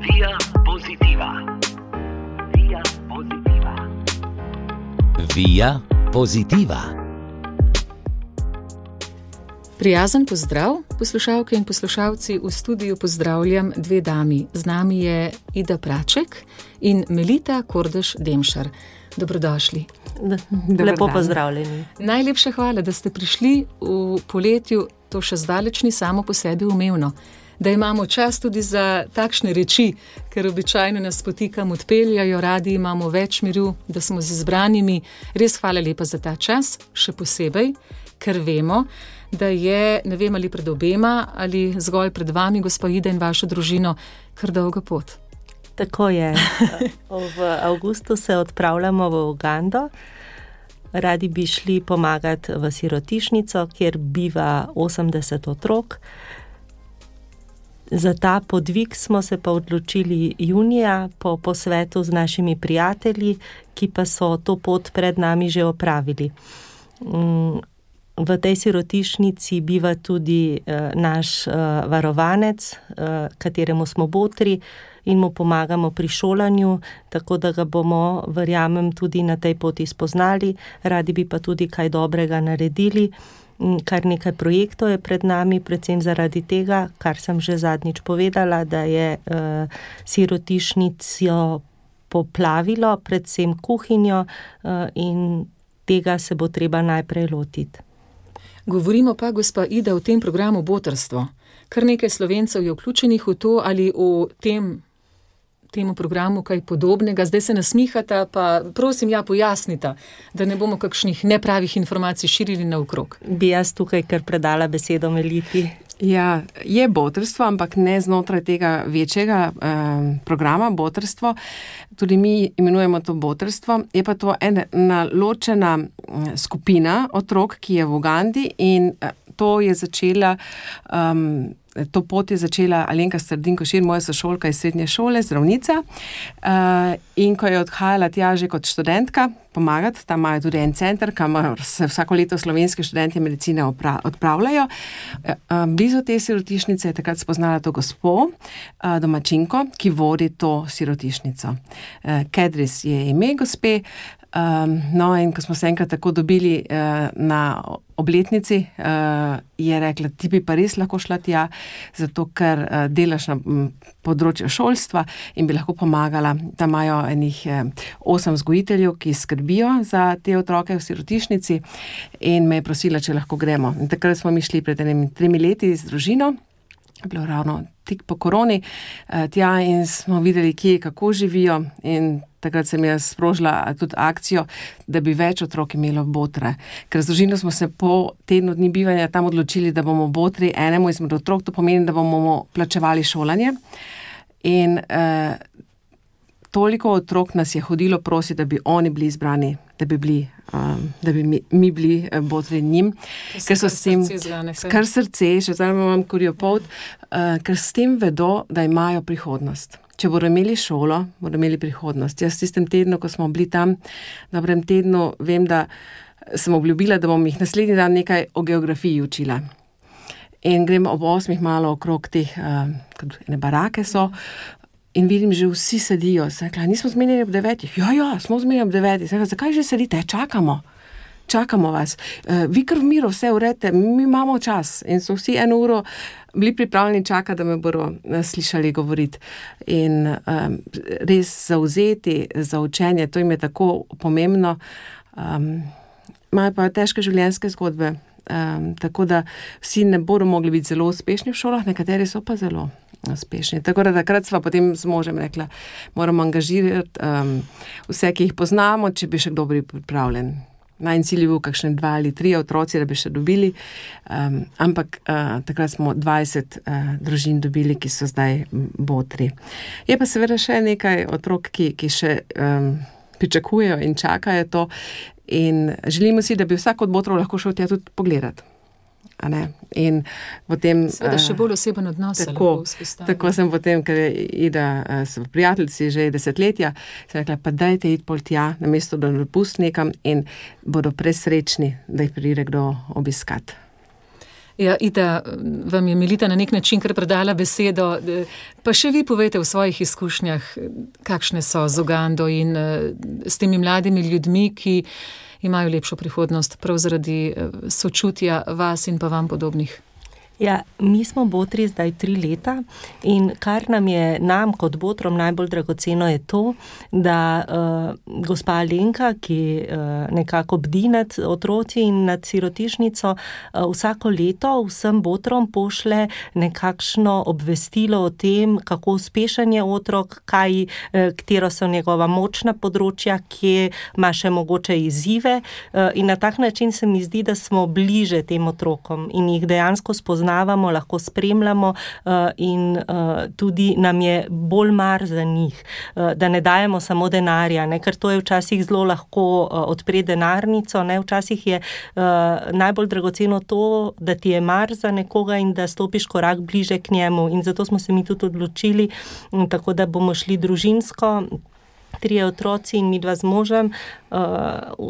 Via Positiva. Via Positiva. Via Positiva. Prijazen pozdrav, poslušalke in poslušalci, v studiu pozdravljam dve dami. Z nami je Ida Praček in Melita Kordež-Demšar. Dobrodošli. Lepo pozdravljeni. Najlepša hvala, da ste prišli v poletju. To še zdaleč ni samo po sebi umevno. Da imamo čas tudi za takšne reči, ker običajno nas potikam odpeljajo, radi imamo več miru, da smo z izbranimi. Res hvala lepa za ta čas, še posebej, ker vemo, da je, ne vem ali pred obema ali zgolj pred vami, gospa Ida in vašo družino, kar dolga pot. Tako je. V avgustu se odpravljamo v Ugando. Radi bi šli pomagati v sirotišnico, kjer biva 80 otrok. Za ta podvig smo se pa odločili junija po posvetu z našimi prijatelji, ki pa so to pot pred nami že opravili. V tej sirotišnici biva tudi naš varovanec, kateremu smo botri in mu pomagamo pri šolanju, tako da ga bomo, verjamem, tudi na tej poti spoznali. Radi bi pa tudi kaj dobrega naredili. Kar nekaj projektov je pred nami, predvsem zaradi tega, kar sem že zadnjič povedala, da je sirotišnico poplavilo, predvsem kuhinjo, in tega se bo treba najprej lotiti. Govorimo pa, gospa Ida, o tem programu Botrstvo. Kar nekaj Slovencev je vključenih v to ali v temu programu kaj podobnega. Zdaj se nasmihata, pa prosim, pojasnita, da ne bomo kakšnih nepravih informacij širili naokrog. Bi jaz tukaj kar predala besedo Meliti. Ja, je botrstvo, ampak ne znotraj tega večjega programa Botrstvo. Tudi mi imenujemo to botrstvo. Je pa to ena ločena skupina otrok, ki je v Ugandi, in to pot je začela Alenka Strdin-Košir, moja sošolka iz srednje šole, zdravnica. In ko je odhajala tja že kot študentka pomagati, tam imajo tudi en center, kamor se vsako leto slovenski študenti medicine odpravljajo. Blizu te sirotišnice je takrat spoznala to gospo, domačinko, ki vodi to sirotišnico. Kedris je ime gospe. In ko smo se enkrat tako dobili na obletnici, je rekla, ti bi pa res lahko šla tja, zato ker delaš na področju šolstva in bi lahko pomagala. Tam imajo enih 8 vzgojiteljev, ki skrbijo za te otroke v sirotišnici, in me je prosila, če lahko gremo. In takrat smo mi šli pred 3 leti z družino, bilo ravno tik po koroni, tja, in smo videli, kje, kako živijo, in takrat sem jaz sprožila tudi akcijo, da bi več otrok imelo botre. Ker z družino smo se po tednu dni bivanja tam odločili, da bomo botri enemu izmed otrok, to pomeni, da bomo plačevali šolanje. In toliko otrok nas je hodilo prositi, da bi oni bili izbrani, da bi mi bili botri njim. Ker so s tem kar srce, še zdaj imam kurjopolt, ker s tem vedo, da imajo prihodnost. Če bodo imeli šolo, bodo imeli prihodnost. Jaz v tistem tednu, ko smo bili tam, dobrem tednu, vem, da sem obljubila, da bom jih naslednji dan nekaj o geografiji učila. In grem ob 8 malo okrog teh, ene barake so, in vidim, že vsi sedijo. Sem rekla, nismo zmenjeni ob 9? Ja, smo zmenjeni ob 9. Sem rekla, zakaj že sedite? Čakamo vas. Vi kar v miru vse uredite, mi imamo čas. In so vsi 1 uro bili pripravljeni čakati, da me bodo slišali govoriti. In res zavzeti za učenje, to jim je tako pomembno. Imajo pa težke življenjske zgodbe, tako da vsi ne bodo mogli biti zelo uspešni v šolah, nekateri so pa zelo uspešni. Tako da takrat sva potem z možem rekla, moramo angažirati vse, ki jih poznamo, če bi še kdo bil pripravljen. Najin cilj je bil kakšne 2 ali 3 otroci, da bi še dobili, ampak takrat smo 20 družin dobili, ki so zdaj botri. Je pa seveda še nekaj otrok, ki še pričakujejo in čakajo to, in želimo si, da bi vsak od botrov lahko šel tja tudi pogledati. In potem seveda še bolj oseben odnos. Tako sem potem, ker je Ida so prijateljci že desetletja, sem rekla, pa dajte iti pol tja, namesto da dopust nekam, in bodo presrečni, da jih pride kdo obiskat. Ja, Ida, vam je Melita na nek način kar predala besedo, pa še vi povejte v svojih izkušnjah, kakšne so z Ugando in s temi mladimi ljudmi, ki imajo lepšo prihodnost prav zaradi sočutja vas in pa vam podobnih. Ja, mi smo botri zdaj 3 leta in kar nam kot botrom najbolj dragoceno je to, da gospa Alenka, ki nekako bdi nad otroci in nad sirotišnico, vsako leto vsem botrom pošle nekakšno obvestilo o tem, kako uspešen je otrok, katero so njegova močna področja, kje ima še mogoče izzive, in na tak način se mi zdi, da smo bliže tem otrokom in jih dejansko spoznavamo, lahko spremljamo in tudi nam je bolj mar za njih, da ne dajemo samo denarja, ne, ker to je včasih zelo lahko odpre denarnico, ne, včasih je najbolj dragoceno to, da ti je mar za nekoga in da stopiš korak bliže k njemu in zato smo se mi tudi odločili, tako da bomo šli družinsko, 3 otroci in midva z možem,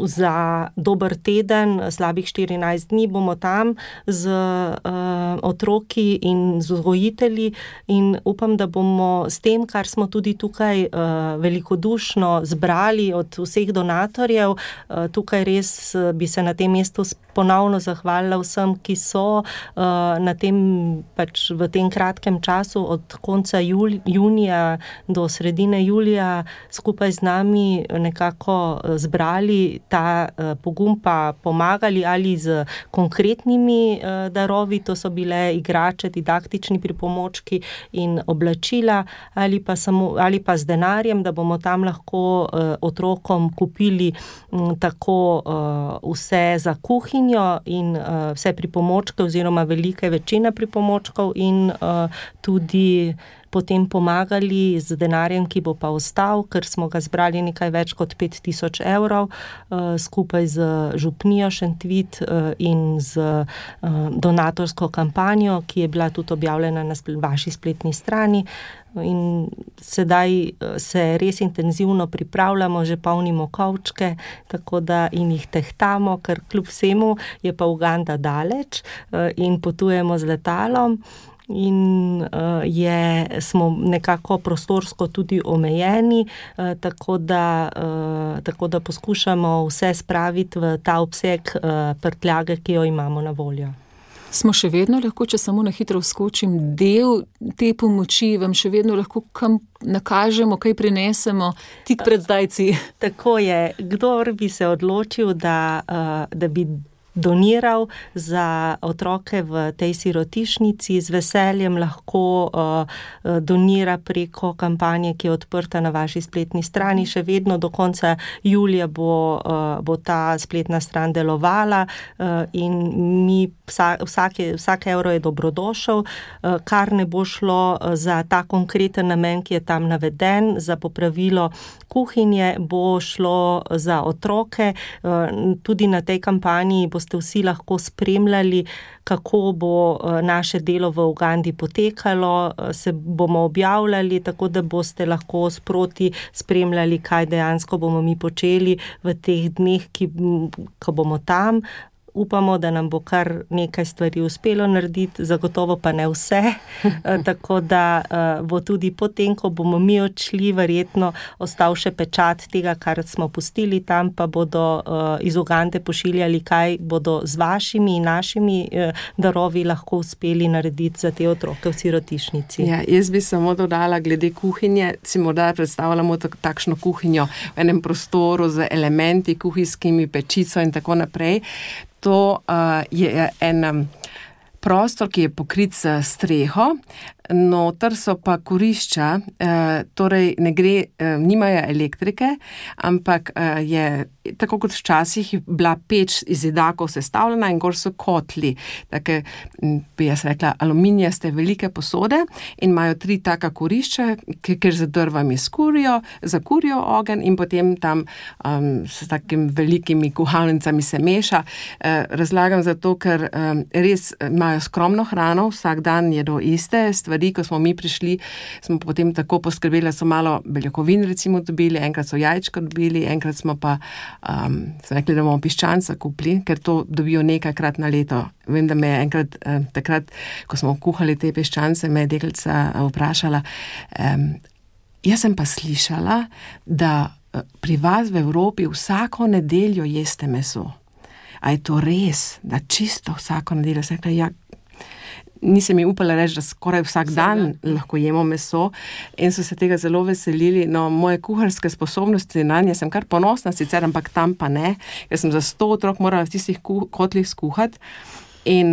za dober teden, slabih 14 dni bomo tam z otroki in z vzgojitelji in upam, da bomo s tem, kar smo tudi tukaj velikodušno zbrali od vseh donatorjev, tukaj res bi se na tem mestu ponovno zahvalila vsem, ki so na tem, pač v tem kratkem času od konca junija do sredine julija skupaj z nami nekako zbrali ta pogum, pa pomagali ali z konkretnimi darovi, to so bile igrače, didaktični pripomočki in oblačila, ali pa z denarjem, da bomo tam lahko otrokom kupili tako vse za kuhinjo in vse pripomočke oziroma velike večine pripomočkov in tudi potem pomagali z denarjem, ki bo pa ostal, ker smo ga zbrali nekaj več kot 5000 evrov, skupaj z župnijo Šentvid in z donatorsko kampanjo, ki je bila tudi objavljena na vaši spletni strani. In sedaj se res intenzivno pripravljamo, že polnimo kovčke, tako da in jih tehtamo, ker kljub vsemu je pa Uganda daleč in potujemo z letalom. In smo nekako prostorsko tudi omejeni, tako da poskušamo vse spraviti v ta obseg prtljage, ki jo imamo na voljo. Smo še vedno lahko, če samo na hitro vskočim, del te pomoči, vam še vedno lahko kam nakažemo, kaj prinesemo tik pred zdajci? Tako je, kdor bi se odločil, da bi doniral za otroke v tej sirotišnici, z veseljem lahko donira preko kampanje, ki je odprta na vaši spletni strani. Še vedno do konca julija bo ta spletna stran delovala in mi vsak evro je dobrodošel, kar ne bo šlo za ta konkreten namen, ki je tam naveden, za popravilo kuhinje, bo šlo za otroke. Tudi na tej kampanji boste vsi lahko spremljali, kako bo naše delo v Ugandi potekalo, se bomo objavljali, tako da boste lahko sproti spremljali, kaj dejansko bomo mi počeli v teh dneh, ko bomo tam. Upamo, da nam bo kar nekaj stvari uspelo narediti, zagotovo pa ne vse, tako da bo tudi potem, ko bomo mi odšli, verjetno ostal še pečat tega, kar smo pustili tam, pa bodo iz Ugande pošiljali, kaj bodo z vašimi in našimi darovi lahko uspeli narediti za te otroke v sirotišnici. Ja, jaz bi samo dodala glede kuhinje, si morda predstavljamo takšno kuhinjo v enem prostoru z elementi kuhinjskimi, pečico in tako naprej. To je en prostor, ki je pokrit s streho, noter so pa kurišča, torej nimajo elektrike, ampak je tako kot včasih bila peč iz zidakov sestavljena in gor so kotli, take, bi jaz rekla, aluminijaste velike posode in imajo 3 taka kurišča, kjer z drvami zakurijo ogenj in potem tam s takimi velikimi kuhalnicami se meša. Razlagam zato, ker res imajo skromno hrano, vsak dan jedo iste stvari, stvari, ko smo mi prišli, smo potem tako poskrbeli, so malo beljakovin recimo dobili, enkrat so jajčka dobili, enkrat smo pa smo rekli, da bomo piščanca kupili, ker to dobijo nekajkrat na leto. Vem, da me je enkrat takrat, ko smo kuhali te piščance, me je deklica vprašala, jaz sem pa slišala, da pri vas v Evropi vsako nedeljo jeste meso. A je to res, da čisto vsako nedeljo? Sem rekla, ja, nisem mi upala reči, da skoraj vsak dan lahko jemo meso in so se tega zelo veselili. No, moje kuharske sposobnosti na nje sem kar ponosna sicer, ampak tam pa ne, ker sem za 100 otrok morala v tistih kotlih skuhati in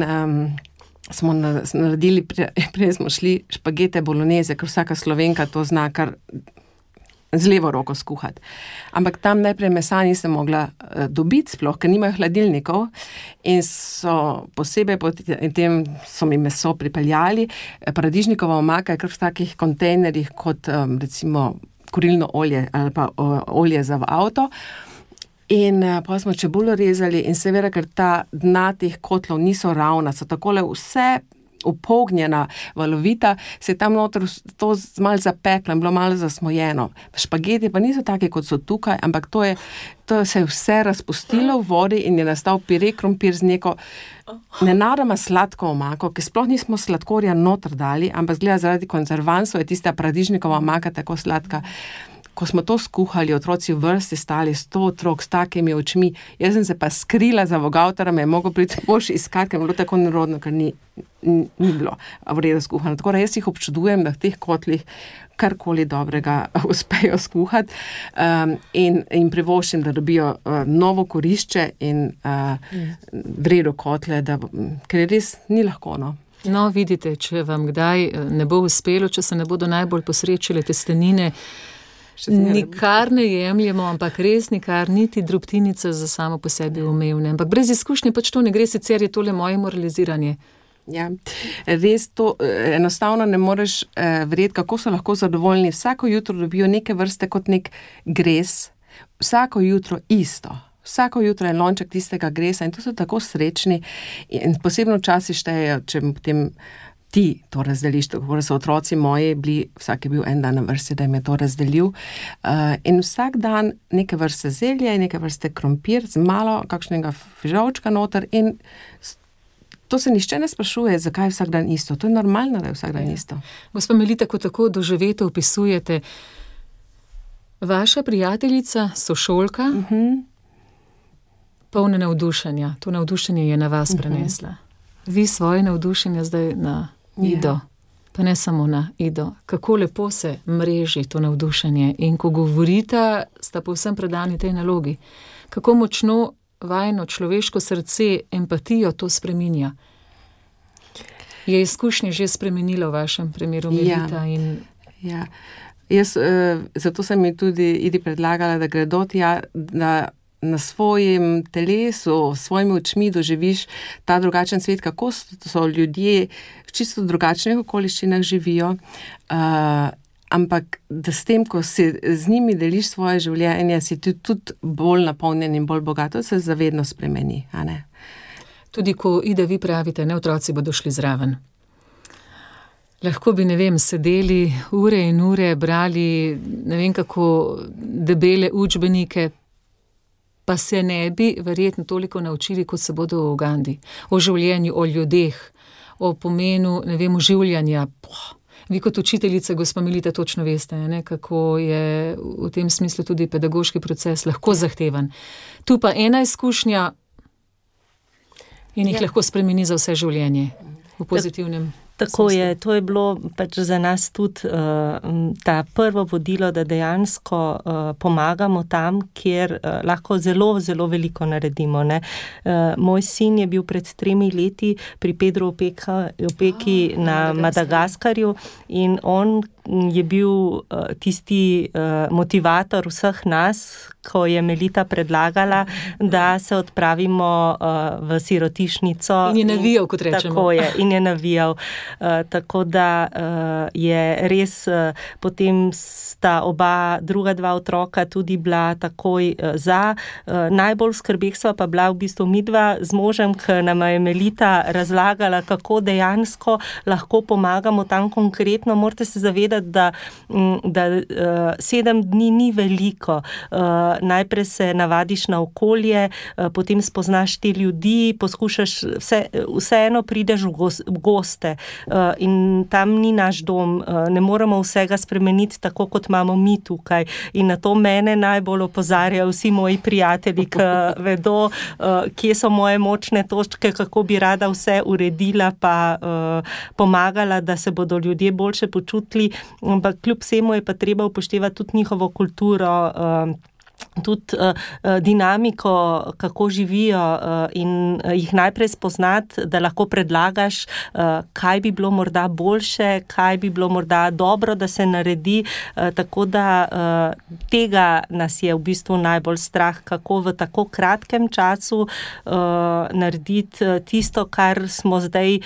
smo naredili, prej smo šli špagete bolognese, ker vsaka Slovenka to zna kar z levo roko skuhati. Ampak tam najprej mesa nisem mogla dobiti sploh, ker nimajo hladilnikov in so posebej potem so mi meso pripeljali. Paradižnikova omaka je kar v takih kontejnerjih kot recimo kurilno olje ali pa olje za v avto. In pa smo čebulo rezali in seveda, ker ta dna teh kotlov niso ravna, so takole vse upognjena, valovita, se je tam noter to malo zapeklo in bilo malo zasmojeno. Špageti pa niso take, kot so tukaj, ampak to se je vse razpustilo v vodi in je nastal pire krompir z neko nenadoma sladko omako, ki sploh nismo sladkorja noter dali, ampak zgleda zaradi konzervansov je tista paradižnikova omaka tako sladka. Ko smo to skuhali, otroci v vrsti stali 100 otrok s takimi očmi, jaz sem se pa skrila za vogavtara, me je mogel priti mož iskat, ker je bilo tako nerodno, ker ni bilo v redu skuhano. Tako da jaz jih občudujem, da v teh kotlih karkoli dobrega uspejo skuhati in privoščim, da dobijo novo korišče in v redu kotle, ker res ni lahko, no. No, vidite, če vam kdaj ne bo uspelo, če se ne bodo najbolj posrečile testenine, nikar ne jemljemo, ampak res nikar, niti drobtinice za samo po sebi umevne. Ampak brez izkušnje pač to ne gre, sicer je tole moje moraliziranje. Ja, res to enostavno ne moreš verjeti, kako so lahko zadovoljni. Vsako jutro dobijo neke vrste kot nek gres, vsako jutro isto. Vsako jutro je lonček tistega gresa in to so tako srečni in posebno časi štejejo, če potem ti to razdeliš, tako da so otroci moji bili, vsak je bil en dan na vrsti, da jim je to razdelil in vsak dan neke vrste zelje, neke vrste krompir z malo kakšnega fižolčka noter in to se nišče ne sprašuje, zakaj je vsak dan isto. To je normalno, da je vsak dan isto. Gospa Melita, ko tako doživeto opisujete, vaša prijateljica, sošolka, polna navdušenja, to navdušenje je na vas prenesla. Vi svoje navdušenje zdaj na Ido, pa ne samo na Ido. Kako lepo se mreži to navdušenje in ko govorita, sta povsem predani tej nalogi. Kako močno vajno človeško srce, empatijo to spreminja. Je izkušnje že spremenilo v vašem primeru, Melita? Ja. Jaz, zato sem mi tudi Idi predlagala, da gredo tja, da na svojem telesu, s svojimi očmi doživiš ta drugačen svet, kako so ljudje v čisto drugačnih okoliščinah živijo, ampak da s tem, ko si z njimi deliš svoje življenje, si tudi bolj napolnjen in bolj bogato, se zavedno spremeni, a ne? Tudi ko Ida, vi pravite, ne, otroci bodo šli zraven. Lahko bi, ne vem, sedeli ure in ure, brali ne vem kako debele učbenike, pa se ne bi verjetno toliko naučili, kot se bodo v Ugandi. O življenju, o ljudeh, o pomenu, ne vem, oživljanja. Vi kot učiteljica, gospa Melita, točno veste, ne, kako je v tem smislu tudi pedagoški proces lahko zahteven. Tu pa ena izkušnja in jih lahko spremeni za vse življenje v pozitivnem. Tako je, to je bilo pač za nas tudi ta prvo vodilo, da dejansko pomagamo tam, kjer lahko zelo, zelo veliko naredimo. Ne? Moj sin je bil pred 3 leti pri Pedro Opeki na Madagaskarju in on je bil tisti motivator vseh nas, ko je Melita predlagala, da se odpravimo v sirotišnico. In je navijal, kot rečemo. Tako je, in je navijal. Tako da je res, potem sta druga dva otroka tudi bila takoj za. Najbolj skrbeh sva pa bila v bistvu midva z možem, ki nama je Melita razlagala, kako dejansko lahko pomagamo tam konkretno. Morate se zavedati, da 7 dni ni veliko. Najprej se navadiš na okolje, potem spoznaš te ljudi, poskušaš, vseeno prideš v goste in tam ni naš dom, ne moremo vsega spremeniti tako, kot imamo mi tukaj. In na to mene najbolj opozarjajo vsi moji prijatelji, ki vedo, kje so moje močne točke, kako bi rada vse uredila pa pomagala, da se bodo ljudje boljše počutili, ampak kljub vsemu je pa treba upoštevati tudi njihovo kulturo, tudi dinamiko, kako živijo in jih najprej spoznati, da lahko predlagaš, kaj bi bilo morda boljše, kaj bi bilo morda dobro, da se naredi, tako da tega nas je v bistvu najbolj strah, kako v tako kratkem času narediti tisto, kar smo zdaj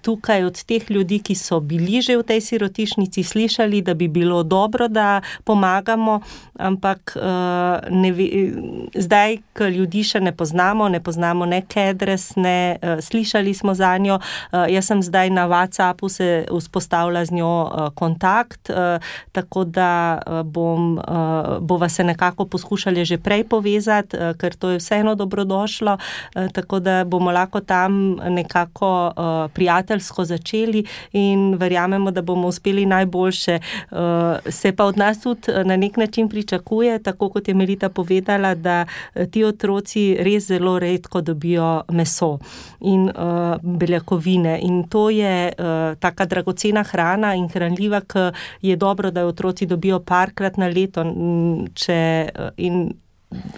tukaj od teh ljudi, ki so bili že v tej sirotišnici, slišali, da bi bilo dobro, da pomagamo, ampak zdaj, ko ljudi še ne poznamo ne Kedres, ne slišali smo za njo. Jaz sem zdaj na WhatsAppu se vzpostavila z njo kontakt, tako da bova se nekako poskušali že prej povezati, ker to je vseeno dobrodošlo, tako da bomo lahko tam nekako prijateljsko začeli in verjamemo, da bomo uspeli najboljše. Se pa od nas tudi na nek način pričakuje, tako kot je Melita povedala, da ti otroci res zelo redko dobijo meso in beljakovine. In to je taka dragocena hrana in hranljiva, ki je dobro, da jo otroci dobijo parkrat na leto.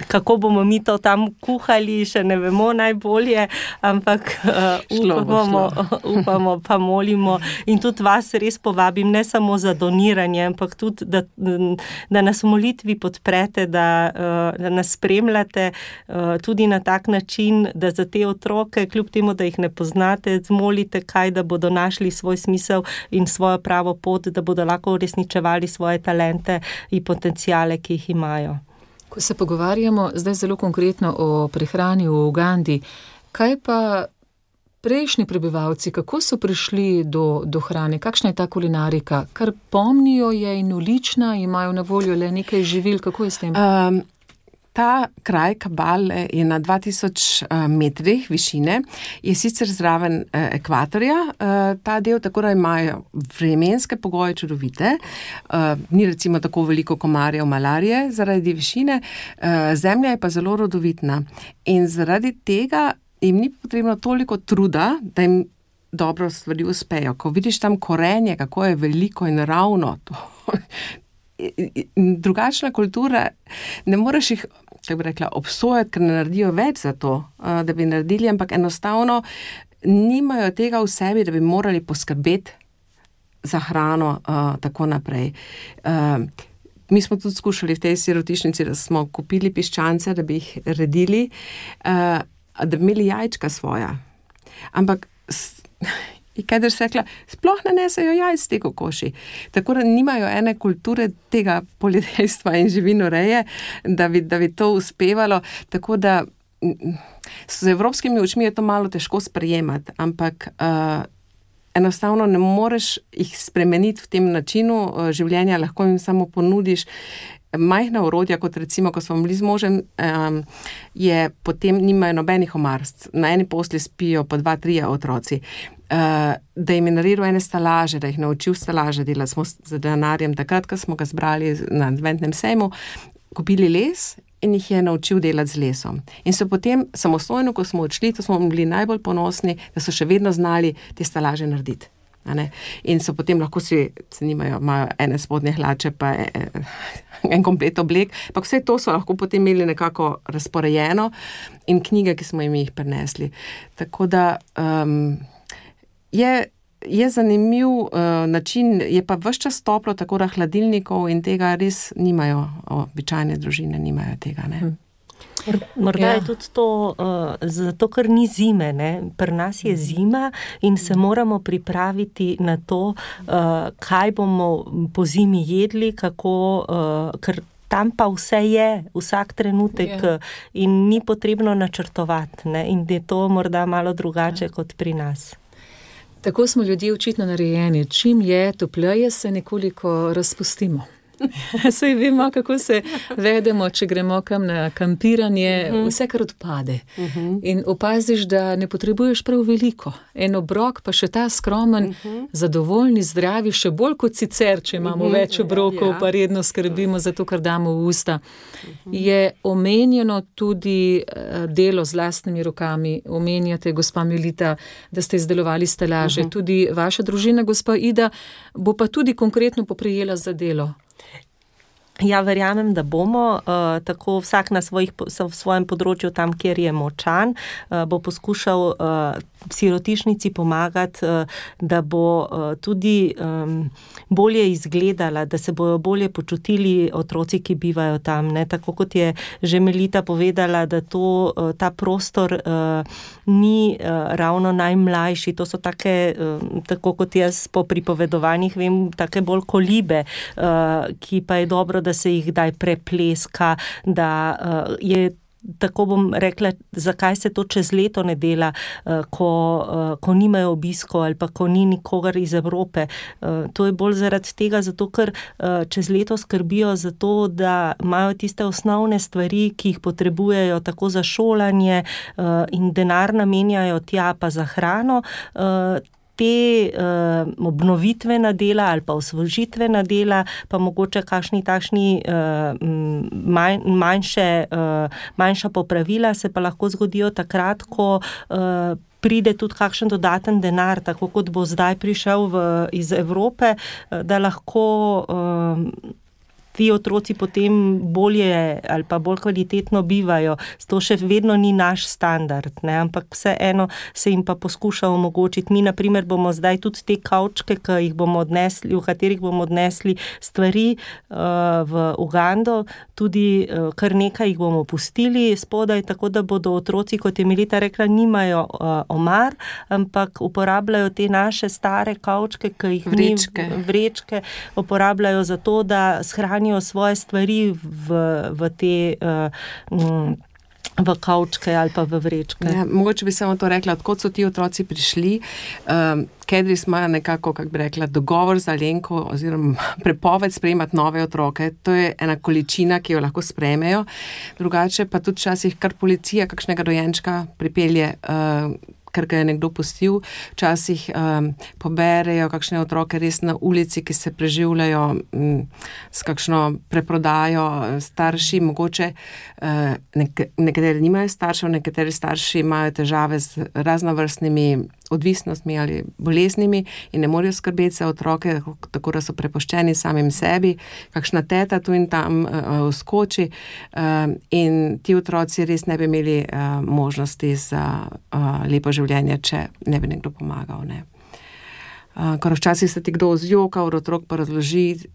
Kako bomo mi to tam kuhali, še ne vemo najbolje, ampak upamo pa molimo. In tudi vas res povabim, ne samo za doniranje, ampak tudi, da nas v molitvi podprete, da nas spremljate tudi na tak način, da za te otroke, kljub temu, da jih ne poznate, zmolite kaj, da bodo našli svoj smisel in svojo pravo pot, da bodo lahko uresničevali svoje talente in potenciale, ki jih imajo. Ko se pogovarjamo zdaj zelo konkretno o prehrani v Ugandi, kaj pa prejšnji prebivalci, kako so prišli do hrane, kakšna je ta kulinarika? Kar pomnijo je in ulična, imajo na voljo le nekaj živil, kako je s tem? Ta kraj Kabale je na 2000 metrih višine, je sicer zraven ekvatorja, ta del, tako da imajo vremenske pogoje čudovite, ni recimo tako veliko komarjev, malarije zaradi višine, zemlja je pa zelo rodovitna in zaradi tega jim ni potrebno toliko truda, da jim dobro stvari uspejo. Ko vidiš tam korenje, kako je veliko in ravno, drugačna kultura, ne moreš jih, kako bi rekla, obsojati, ker ne naredijo več za to, da bi naredili, ampak enostavno nimajo tega v sebi, da bi morali poskrbeti za hrano, tako naprej. Mi smo tudi skušali v tej sirotišnici, da smo kupili piščance, da bi jih redili, da bi imeli jajčka svoja. Ampak Kedr se rekla, sploh ne nesejo jajc te kokoši. Tako da nimajo ene kulture tega poljedelstva in živinoreje, da bi to uspevalo. Tako da z evropskimi očmi je to malo težko sprejemati, ampak enostavno ne moreš jih spremeniti v tem načinu življenja, lahko jim samo ponudiš majhna orodja, kot recimo, ko smo bili z možem, je potem nimajo nobenih omarst. Na eni posli spijo po 2-3 otroci. Da jim je naredil ene stalaže, da jih naučil stalaže delati. Smo z denarjem takrat, ko smo ga zbrali na adventnem sejmu, kupili les in jih je naučil delati z lesom. In so potem samostojno, ko smo odšli, to smo bili najbolj ponosni, da so še vedno znali te stalaže narediti. In so potem lahko imajo ene spodnje hlače pa en komplet oblek, pa vse to so lahko potem imeli nekako razporejeno in knjige, ki smo jim jih prinesli. Tako da je zanimiv način, je pa ves čas toplo, tako da hladilnikov in tega res nimajo, običajne družine nimajo tega, ne. Morda je tudi to, zato ker ni zime, ne. Pri nas je zima in se moramo pripraviti na to, kaj bomo po zimi jedli, kako, ker tam pa vse je, vsak trenutek in ni potrebno načrtovati, ne. In je to morda malo drugače kot pri nas. Tako smo ljudje očitno narejeni. Čim je topleje, se nekoliko razpustimo. Saj vemo, kako se vedemo, če gremo kam na kampiranje, vse kar odpade. In opaziš, da ne potrebuješ prav veliko. En obrok, pa še ta skromen, zadovoljni, zdravi, še bolj kot sicer, če imamo več obrokov, pa redno skrbimo za to, kar damo v usta. Je omenjeno tudi delo z lastnimi rokami. Omenjate, gospa Melita, da ste izdelovali stelaže. Tudi vaša družina, gospa Ida, bo pa tudi konkretno poprijela za delo. Ja, verjamem, da bomo, tako vsak na svojem področju tam, kjer je močan, bo poskušal sirotišnici pomagati, da bo tudi bolje izgledala, da se bojo bolje počutili otroci, ki bivajo tam, ne, tako kot je že Melita povedala, da ta prostor ni ravno najmlajši, to so take, tako kot jaz po pripovedovanjih vem, take bolj kolibe, ki pa je dobro, da se jih kdaj prepleska, da je, tako bom rekla, zakaj se to čez leto ne dela, ko nimajo obiskov ali pa ko ni nikogar iz Evrope. To je bolj zaradi tega, zato ker čez leto skrbijo za to, da imajo tiste osnovne stvari, ki jih potrebujejo tako za šolanje in denar namenjajo tja pa za hrano. Te obnovitvena dela ali pa osvežitvena dela, pa mogoče kakšni takšni manjša popravila se pa lahko zgodijo takrat, ko pride tudi kakšen dodaten denar, tako kot bo zdaj prišel iz Evrope, da lahko ti otroci potem bolje ali pa bolj kvalitetno bivajo. To še vedno ni naš standard, ne, ampak vseeno se jim pa poskuša omogočiti. Mi, na primer, bomo zdaj tudi te kavčke, v katerih bomo odnesli stvari v Ugando, tudi kar nekaj jih bomo pustili spodaj, tako da bodo otroci, kot je Melita rekla, nimajo omar, ampak uporabljajo te naše stare kavčke, ki jih vrečke uporabljajo za to, da shranijo svoje stvari v te v kavčke ali pa v vrečke. Ja, mogoče bi samo to rekla, odkot so ti otroci prišli. Kedris ima nekako, kako bi rekla, dogovor z Alenko oziroma prepoved sprejemati nove otroke. To je ena količina, ki jo lahko sprejmejo. Drugače pa tudi včasih kar policija kakšnega dojenčka pripelje, ker ga je nekdo pustil. Včasih poberejo kakšne otroke res na ulici, ki se preživljajo s kakšno preprodajo starši. Mogoče nekateri nimajo staršev, nekateri starši imajo težave z raznovrstnimi odvisnostmi ali boleznimi in ne morejo skrbeti za otroke, tako da so prepuščeni samim sebi. Kakšna teta tu in tam vskoči in ti otroci res ne bi imeli možnosti za lepo življenje, če ne bi nekdo pomagal. Ne. Ker včasih se ti kdo zjoka, otrok pa razloži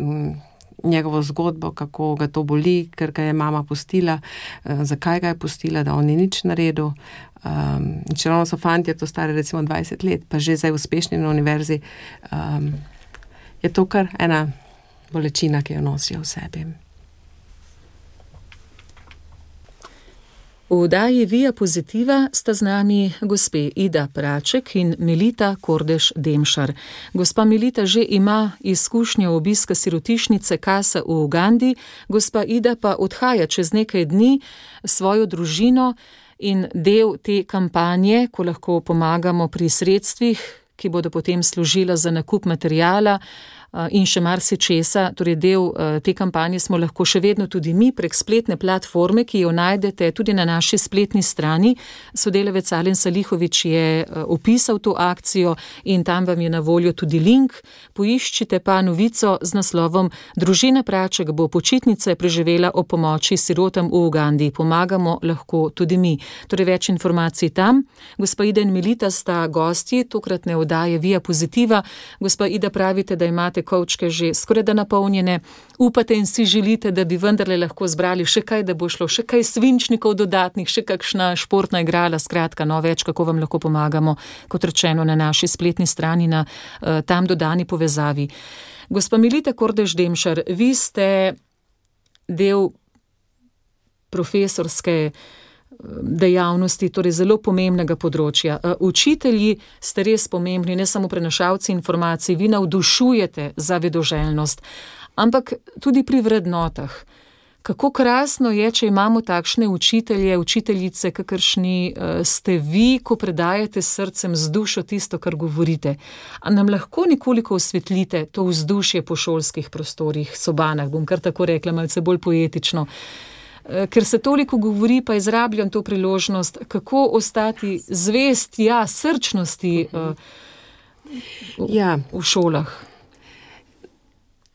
njegovo zgodbo, kako ga to boli, ker ga je mama pustila, zakaj ga je pustila, da on ni nič naredil. Če ravno so fantje, to stare recimo 20 let, pa že zdaj uspešni na univerzi, je to kar ena bolečina, ki jo nosijo v sebi. V oddaji Via Positiva sta z nami gospe Ida Praček in Melita Kordež-Demšar. Gospa Melita že ima izkušnjo obiska sirotišnice Casa v Ugandi, gospa Ida pa odhaja čez nekaj dni svojo družino in del te kampanje, ko lahko pomagamo pri sredstvih, ki bodo potem služila za nakup materijala, in še marsičesa. Torej del te kampanje smo lahko še vedno tudi mi prek spletne platforme, ki jo najdete tudi na naši spletni strani. Sodelavec Alen Salihović je opisal to akcijo in tam vam je na voljo tudi link. Poiščite pa novico z naslovom Družina Praček bo počitnice preživela o pomoči sirotam v Ugandi. Pomagamo lahko tudi mi. Torej več informacij tam. Gospa Ida in Melita sta gosti tokratne oddaje Via Pozitiva. Gospa Ida, pravite, da imate kovčke že skoraj da napolnjene. Upate in si želite, da bi vendarle lahko zbrali še kaj, da bo šlo, še kaj svinčnikov dodatnih, še kakšna športna igrala, skratka, več, kako vam lahko pomagamo, kot rečeno, na naši spletni strani, na tam dodani povezavi. Gospa Melita Kordež-Demšar, vi ste del profesorske dejavnosti, torej zelo pomembnega področja. Učitelji ste res pomembni, ne samo prenašalci informacij, vi navdušujete za vedoželjnost, ampak tudi pri vrednotah. Kako krasno je, če imamo takšne učitelje, učiteljice, kakršni ste vi, ko predajate s srcem, z dušo tisto, kar govorite. A nam lahko nekoliko osvetlite to vzdušje po šolskih prostorih, sobanah, bom kar tako rekla, malce bolj poetično. Ker se toliko govori, pa izrabljam to priložnost, kako ostati zvest, srčnosti v šolah.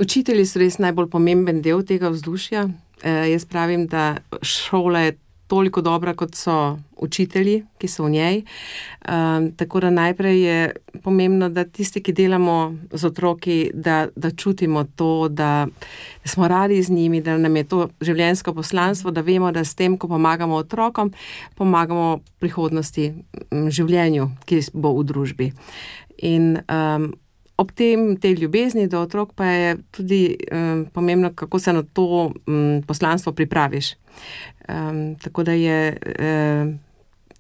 Učitelji so res najbolj pomemben del tega vzdušja. Jaz pravim, da šola je toliko dobra, kot so učitelji, ki so v njej. Tako da najprej je pomembno, da tisti, ki delamo z otroki, da čutimo to, da smo radi z njimi, da nam je to življenjsko poslanstvo, da vemo, da s tem, ko pomagamo otrokom, pomagamo prihodnosti življenju, ki bo v družbi. In ob tej ljubezni do otrok pa je tudi pomembno, kako se na to poslanstvo pripraviš. Tako da je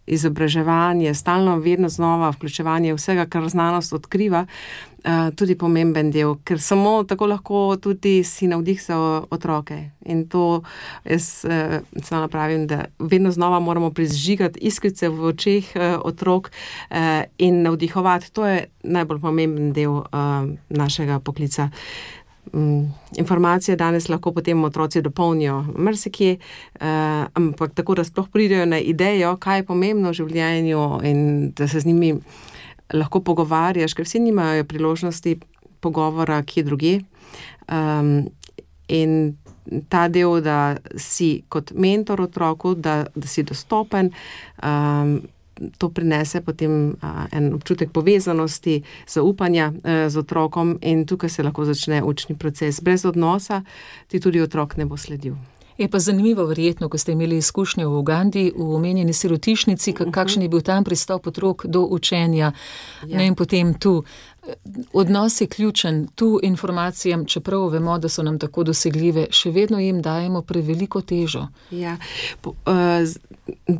izobraževanje, stalno vedno znova vključevanje vsega, kar znanost odkriva, tudi pomemben del, ker samo tako lahko tudi si navdih za otroke. In to jaz samo pravim, da vedno znova moramo prižigati iskrice v očeh otrok in navdihovati. To je najbolj pomemben del našega poklica. Informacije danes lahko potem otroci dopolnijo marsikje, ampak tako, da sploh pridejo na idejo, kaj je pomembno v življenju in da se z njimi lahko pogovarjaš, ker vsi nimajo priložnosti pogovora kje drugje. In ta del, da si kot mentor otroku, da si dostopen, to prinese potem en občutek povezanosti, zaupanja z otrokom in tukaj se lahko začne učni proces. Brez odnosa ti tudi otrok ne bo sledil. Je pa zanimivo verjetno, ko ste imeli izkušnje v Ugandi, v omenjeni sirotišnici, kakšen je bil tam pristop otrok do učenja. In potem tu. Odnos je ključen, tu informacijam, čeprav vemo, da so nam tako dosegljive, še vedno jim dajemo preveliko težo. Ja,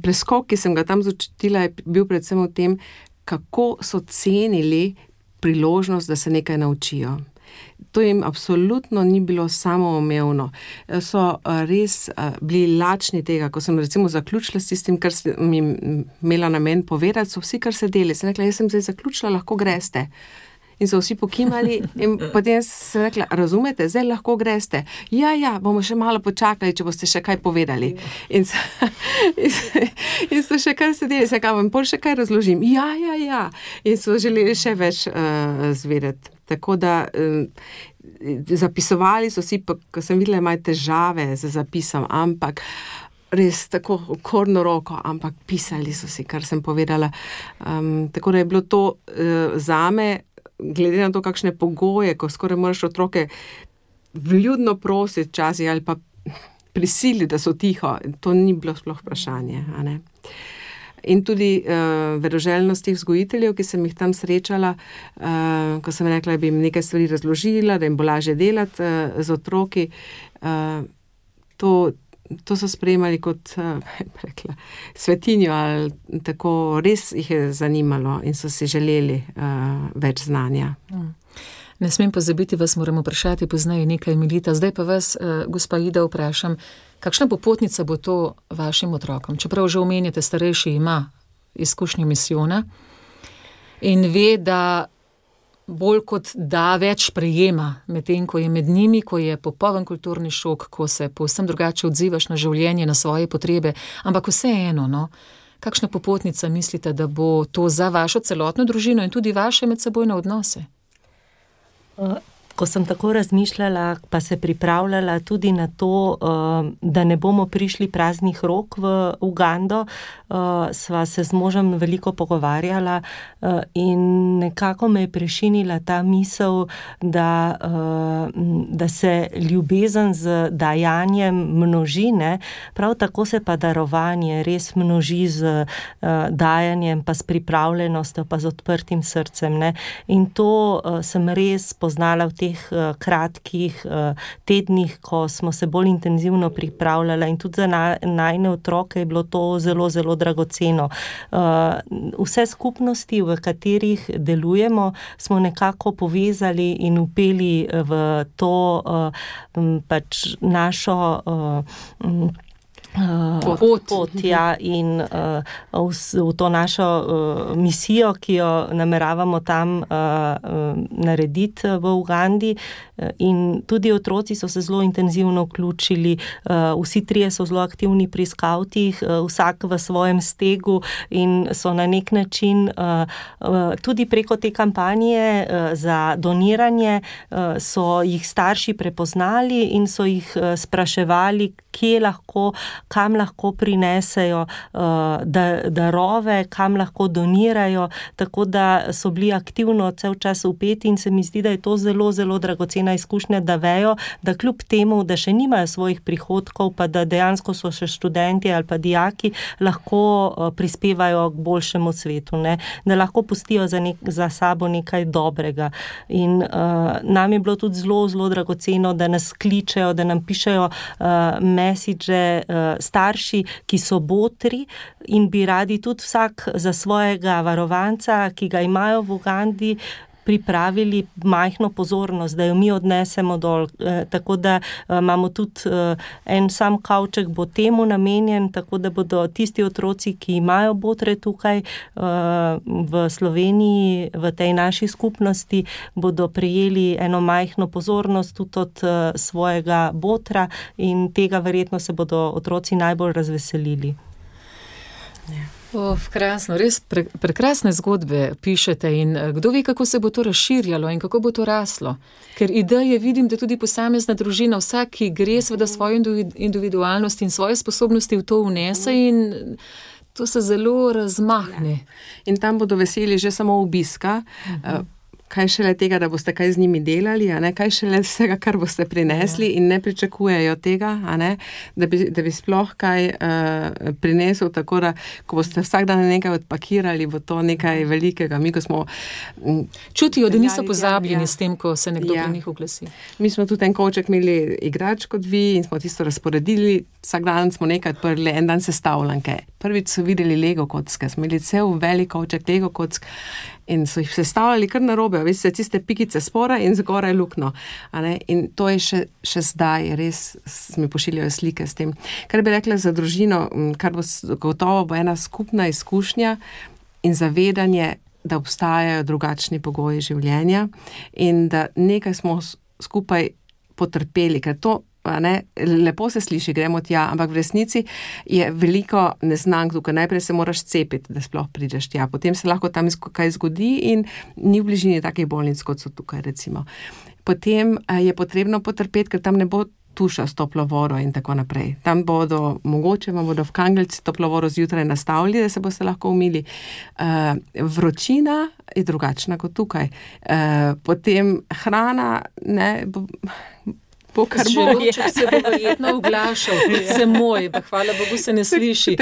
preskok, ki sem ga tam začutila, je bil predvsem v tem, kako so cenili priložnost, da se nekaj naučijo. To jim absolutno ni bilo samoumevno. So res bili lačni tega, ko sem recimo zaključila s tistim, kar sem jim imela namen povedati, so vsi kar sedeli. Sem rekla, jaz sem zdaj zaključila, lahko greste. In so vsi pokimali in potem sem rekla, razumete, zdaj lahko greste. Ja, bomo še malo počakali, če boste še kaj povedali. In so še kar sedeli, sem rekla, vam pol še kaj razložim. Ja. In so želeli še več zvedeti. Tako da zapisovali so si, ko sem videla, imajo težave z zapisom, ampak res tako okorno roko, ampak pisali so si, kar sem povedala. Tako da je bilo to zame, glede na to, kakšne pogoje, ko skoraj moraš otroke vljudno prositi časi ali pa prisili, da so tiho, to ni bilo sploh vprašanje, a ne. In tudi vedoželjnost teh vzgojiteljev, ki sem jih tam srečala, ko sem rekla, da bi jim nekaj stvari razložila, da jim bo lažje delati z otroki, to so sprejemali kot rekla, svetinjo ali tako, res jih je zanimalo in so si želeli več znanja. Ne smem pozabiti, vas moram vprašati poznaje nekaj, Melita. Zdaj pa vas, gospa Ida, vprašam, kakšna popotnica bo to vašim otrokom? Čeprav že omenjate, starejši ima izkušnjo misijona in ve, da bolj kot da več prejema, medtem ko je med njimi, ko je popoln kulturni šok, ko se povsem drugače odzivaš na življenje, na svoje potrebe, ampak vseeno, no, kakšna popotnica mislite, da bo to za vašo celotno družino in tudi vaše medsebojne odnose? Ko sem tako razmišljala, pa se pripravljala tudi na to, da ne bomo prišli praznih rok v Ugando, sva se z možem veliko pogovarjala in nekako me je prešinila ta misel, da se ljubezen z dajanjem množi, ne? Prav tako se pa darovanje res množi z dajanjem, pa s pripravljenostjo, pa z odprtim srcem, ne? In to sem res poznala v teh kratkih tednih, ko smo se bolj intenzivno pripravljala in tudi za najne otroke je bilo to zelo, zelo dragoceno. Vse skupnosti, v katerih delujemo, smo nekako povezali in vpeli v to pač našo pot, ja, in v to našo misijo, ki jo nameravamo tam narediti v Ugandi. In tudi otroci so se zelo intenzivno vključili, vsi trije so zelo aktivni pri skavtih, vsak v svojem stegu in so na nek način tudi preko te kampanje za doniranje so jih starši prepoznali in so jih spraševali, kam lahko prinesejo darove, kam lahko donirajo, tako da so bili aktivno cel čas vpeti in se mi zdi, da je to zelo, zelo dragocena izkušnja, da vejo, da kljub temu, da še nimajo svojih prihodkov, pa da dejansko so še študenti ali pa dijaki, lahko prispevajo k boljšemu svetu, ne? Da lahko pustijo za sabo nekaj dobrega. In nam je bilo tudi zelo, zelo dragoceno, da nas kličejo, da nam pišejo message starši, ki so botri in bi radi tudi vsak za svojega varovanca, ki ga imajo v Ugandi, pripravili majhno pozornost, da jo mi odnesemo dol. Tako da imamo tudi en sam kavček bo temu namenjen, tako da bodo tisti otroci, ki imajo botre tukaj v Sloveniji, v tej naši skupnosti, bodo prejeli eno majhno pozornost tudi od svojega botra in tega verjetno se bodo otroci najbolj razveselili. Ja. Krasno, res prekrasne zgodbe pišete in kdo ve, kako se bo to razširjalo in kako bo to raslo. Ker ideje vidim, da tudi posamezna družina, vsak, ki gre seveda svojo individualnost in svoje sposobnosti v to vnese in to se zelo razmahne. In tam bodo veseli že samo obiska, kaj šele tega, da boste kaj z njimi delali, a ne? Kaj šele vsega, kar boste prinesli in ne pričakujejo tega, a ne? Da bi sploh kaj prinesel, tako da, ko boste vsak dan nekaj odpakirali, bo to nekaj velikega. Mi, ko smo čutijo, da niso pozabljeni s tem, ko se nekdo pri njih oglasi. Mi smo tudi en kovček imeli igrač kot vi in smo tisto razporedili, vsak dan smo nekaj odprli, en dan sestavljanke. Prvič so videli Lego kocke, smo imeli cel velik kovček Lego kock in so jih sestavljali kar narobe, veste, tiste pikice spora in zgoraj lukno. In to je še zdaj, res mi pošiljajo slike s tem. Kar bi rekla za družino, kar bo gotovo bo ena skupna izkušnja in zavedanje, da obstajajo drugačni pogoji življenja in da nekaj smo skupaj potrpeli, ker to lepo se sliši, gremo tja, ampak v resnici je veliko neznank tukaj. Najprej se moraš cepiti, da sploh prideš tja. Potem se lahko tam kaj zgodi in ni v bližini takih bolnic, kot so tukaj, recimo. Potem je potrebno potrpeti, ker tam ne bo tuša s toplo vodo in tako naprej. Tam mogoče vam bodo v Kangeljci toplo vodo zjutraj nastavili, da se boste lahko umili. Vročina je drugačna kot tukaj. Potem hrana, Želoček se bo verjetno oglašal, se moj, pa hvala Bogu se ne sliši.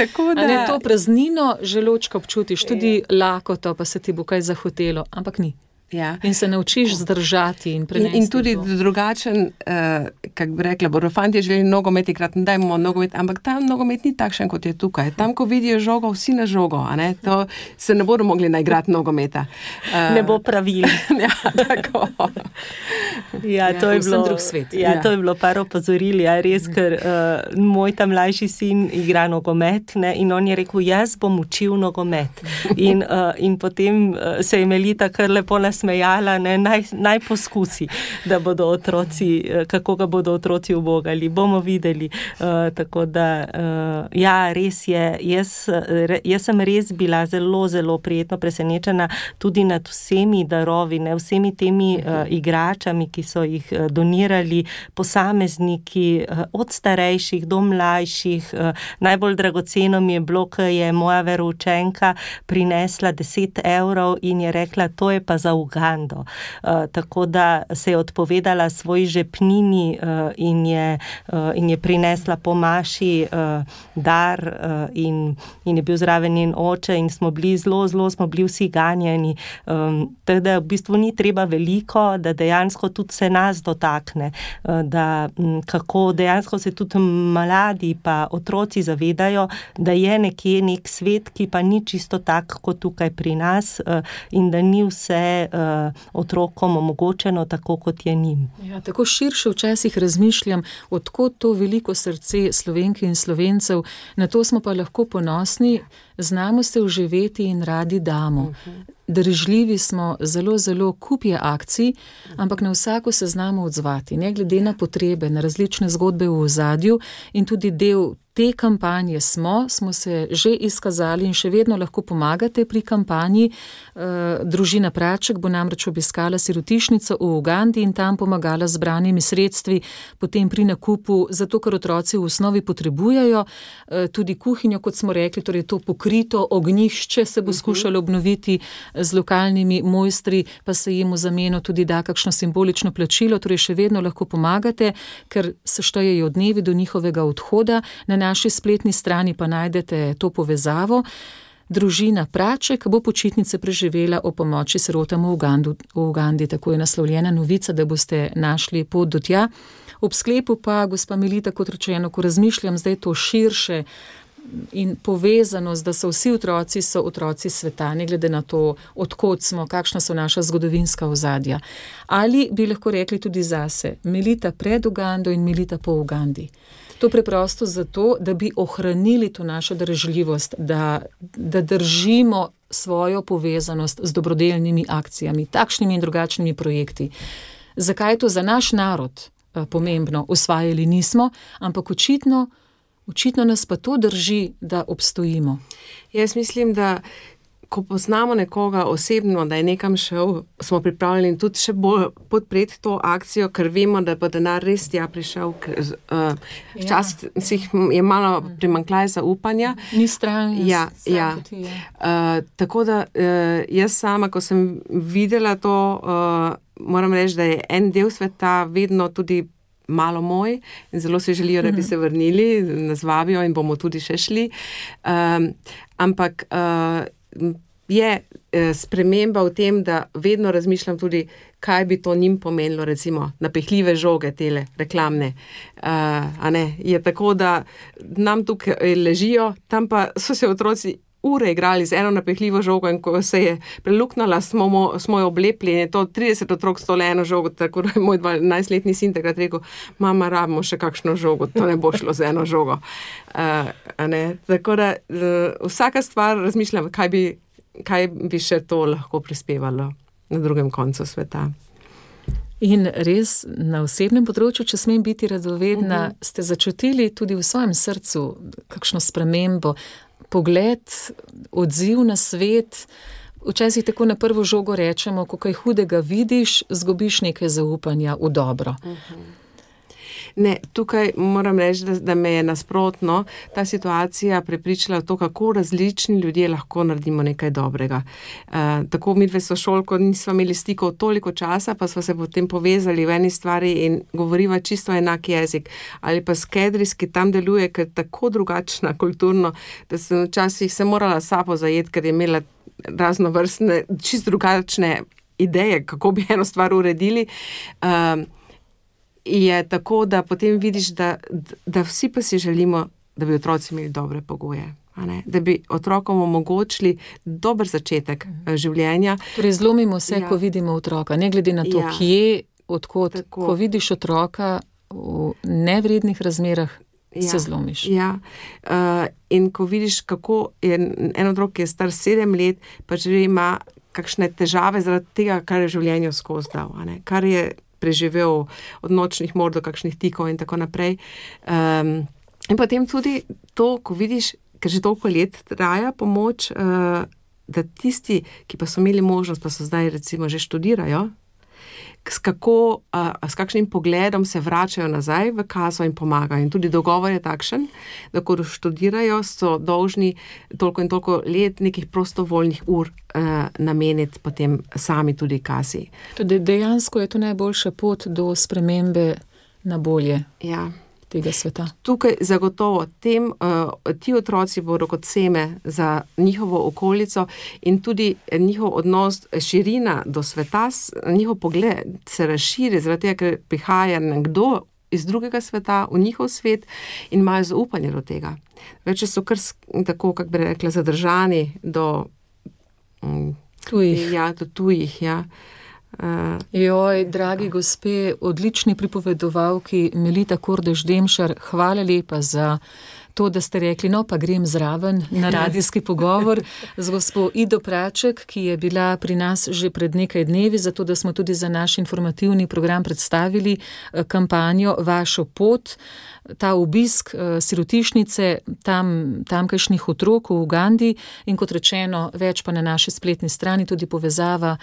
To praznino želočka občutiš, tudi lakoto, pa se ti bo kaj zahotelo, ampak ni. Ja. In se naučiš zdržati in prenesti. In tudi drugačen, kak bi rekla, bodo fantje želeli nogomet igrati, dajmo nogomet, ampak tam nogomet ni takšen, kot je tukaj. Tam, ko vidijo žogo, vsi na žogo, a ne? To se ne bodo mogli naigrati nogometa. Ne bo pravil. Ja, tako. To je bilo drug svet. To je bilo par opozoril, res, ker moj tam mlajši sin igra nogomet, ne, in on je rekel, jaz bom učil nogomet. In potem se je Melita kar lepo nasmejala, ne, naj poskusi, da bodo otroci, kako ga bodo otroci ubogali, bomo videli. Tako da, ja, res je, jaz sem res bila zelo, zelo prijetno presenečena tudi nad vsemi darovi, ne, vsemi temi igračami, ki so jih donirali posamezniki, od starejših do mlajših. Najbolj dragoceno mi je bilo, ko je moja veroučenka prinesla 10 € in je rekla, to je pa za Ugando. Tako da se je odpovedala svoji žepnini in je prinesla po maši dar in je bil zraven njen oče in smo bili zelo smo bili vsi ganjeni. Tako da v bistvu ni treba veliko, da dejansko tudi se nas dotakne, da kako dejansko se tudi mladi pa otroci zavedajo, da je nekje nek svet, ki pa ni čisto tak kot tukaj pri nas in da ni vse otrokom omogočeno tako, kot je njim. Ja, tako širše včasih razmišljam, odkot to veliko srce Slovenk in Slovencev, na to smo pa lahko ponosni, znamo se vživeti in radi damo. Držljivi smo, zelo kup je akcij, ampak na vsako se znamo odzvati, ne glede na potrebe, na različne zgodbe v ozadju in tudi del te kampanje smo se že izkazali in še vedno lahko pomagate pri kampanji. Družina Praček bo namreč obiskala sirotišnico v Ugandi in tam pomagala z zbranimi sredstvi, potem pri nakupu, zato ker otroci v osnovi potrebujejo tudi kuhinjo, kot smo rekli, torej to pokrito ognjišče se bo skušalo obnoviti z lokalnimi mojstri, pa se jim v zameno tudi da kakšno simbolično plačilo, torej še vedno lahko pomagate, ker se štejejo dnevi do njihovega odhoda. Na naši spletni strani pa najdete to povezavo. Družina Praček bo počitnice preživela o pomoči sirotam v Ugandi. Tako je naslovljena novica, da boste našli pot do tja. Ob sklepu pa, gospa Melita, kot rečeno, ko razmišljam zdaj to širše in povezanost, da so vsi otroci sveta, ne glede na to, odkot smo, kakšna so naša zgodovinska ozadja. Ali bi lahko rekli tudi zase, Melita pred Ugando in Melita po Ugandi? To preprosto zato, da bi ohranili to našo držljivost, da držimo svojo povezanost z dobrodelnimi akcijami, takšnimi in drugačnimi projekti. Zakaj je to za naš narod pomembno? Osvajali nismo, ampak očitno nas pa to drži, da obstojimo. Jaz mislim, da ko poznamo nekoga osebno, da je nekam šel, smo pripravljeni tudi še bolj podpreti to akcijo, ker vemo, da bo denar res tja prišel. Včasih je malo primanjkljaj zaupanja. Ni stran. Ja. Tako da jaz sama, ko sem videla to, moram reči, da je en del sveta vedno tudi malo moj in zelo se želijo, da bi se vrnili, nas vabijo in bomo tudi še šli. Ampak je sprememba v tem, da vedno razmišljam tudi, kaj bi to njim pomenilo, recimo napehljive žoge tele, reklamne. Je tako, da nam tukaj ležijo, tam pa so se otroci ure igrali z eno napehljivo žogo in ko se je preluknala, smo jo oblepli in je to 30 otrok stole eno žogo, tako da je moj 12-letni sin takrat rekel, mama, rabimo še kakšno žogo, to ne bo šlo z eno žogo. Tako da vsaka stvar razmišljam, kaj bi še to lahko prispevalo na drugem koncu sveta. In res na osebnem področju, če smem biti radovedna, ste začutili tudi v svojem srcu kakšno spremembo, pogled, odziv na svet. Včasih tako na prvo žogo rečemo, ko kaj hudega vidiš, zgubiš nekaj zaupanja v dobro. Ne, tukaj moram reči, da me je nasprotno ta situacija prepričala v to, kako različni ljudje lahko naredimo nekaj dobrega. Tako midve sošolko nismo imeli stikov toliko časa, pa smo se potem povezali v eni stvari in govoriva čisto enak jezik. Ali pa Skedris, ki tam deluje, ker tako drugačna kulturno, da sem včasih se morala sapo zajeti, ker je imela raznovrstne, čisto drugačne ideje, kako bi eno stvar uredili. Je tako, da potem vidiš, da vsi pa si želimo, da bi otroci imeli dobre pogoje. Da bi otrokom omogočili dober začetek življenja. Torej zlomimo se, ko vidimo otroka, ne glede na to, kje, odkot. Tako. Ko vidiš otroka v nevrednih razmerah, se zlomiš. In ko vidiš, kako je en otrok, ki je star 7 let, pa že ima kakšne težave zaradi tega, kar je v življenju skozi dal, kar je preživel od nočnih mor do kakšnih tikov in tako naprej. In potem tudi to, ko vidiš, ker že toliko let traja pomoč, da tisti, ki pa so imeli možnost, pa so zdaj recimo že študirajo, s kakšnim pogledom se vračajo nazaj v kazo in pomagajo. In tudi dogovor je takšen, da ko študirajo, so dolžni toliko in toliko let nekih prostovoljnih ur nameniti potem sami tudi kazi. Tudi dejansko je to najboljša pot do spremembe na bolje. Ja. Tega sveta. Tukaj zagotovo ti otroci bodo kot seme za njihovo okolico in tudi njihov odnos, širina do sveta, njihov pogled se razširi, zaradi tega, ker prihaja nekdo iz drugega sveta v njihov svet in imajo zaupanje do tega. Več so kar tako, kako bi rekla, zadržani do tujih, ja. Joj, dragi gospe, odlični pripovedovalki Melita Kordež-Demšar, hvala lepa za to, da ste rekli, no pa grem zraven na radijski pogovor z gospo Ido Praček, ki je bila pri nas že pred nekaj dnevi, zato da smo tudi za naš informativni program predstavili kampanjo Vašo pot, ta obisk sirotišnice tamkajšnjih otrok v Ugandi in kot rečeno, več pa na naši spletni strani, tudi povezava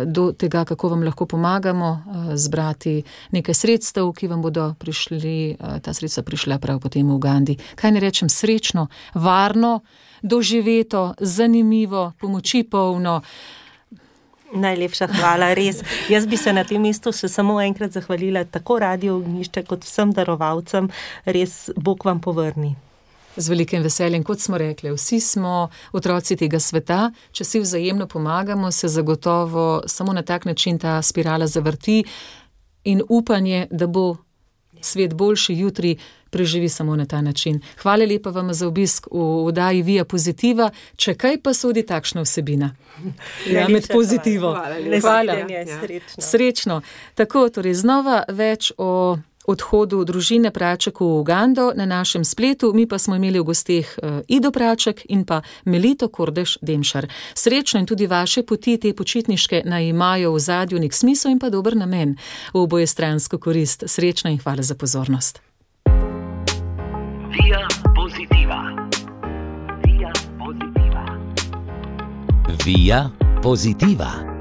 do tega, kako vam lahko pomagamo zbrati nekaj sredstev, ki vam bodo prišli, ta sredstva prišla prav potem v Ugandi. Kaj ne rečem, srečno, varno, doživeto, zanimivo, pomoči polno. Najlepša hvala, res. Jaz bi se na tem mestu še samo enkrat zahvalila tako Radio Ognjišče kot vsem darovalcem. Res, Bog vam povrni. Z velikim veseljem, kot smo rekli, vsi smo otroci tega sveta, če si vzajemno pomagamo, se zagotovo samo na tak način ta spirala zavrti in upanje, da bo svet boljši jutri, preživi samo na ta način. Hvala lepa vam za obisk v oddaji Via Pozitiva. Če kaj pa sodi takšna vsebina? Ja, med pozitivo. Hvala. Srečno. Tako, torej znova več o odhodu družine Praček v Ugando na našem spletu. Mi pa smo imeli v gosteh Ido Praček in pa Melito Kordež-Demšar. Srečno in tudi vaše poti, te počitniške, naj imajo v zadju nek smisel in pa dober namen v obojestransko korist. Srečno in hvala za pozornost. Via Positiva. Via Positiva. Via Positiva.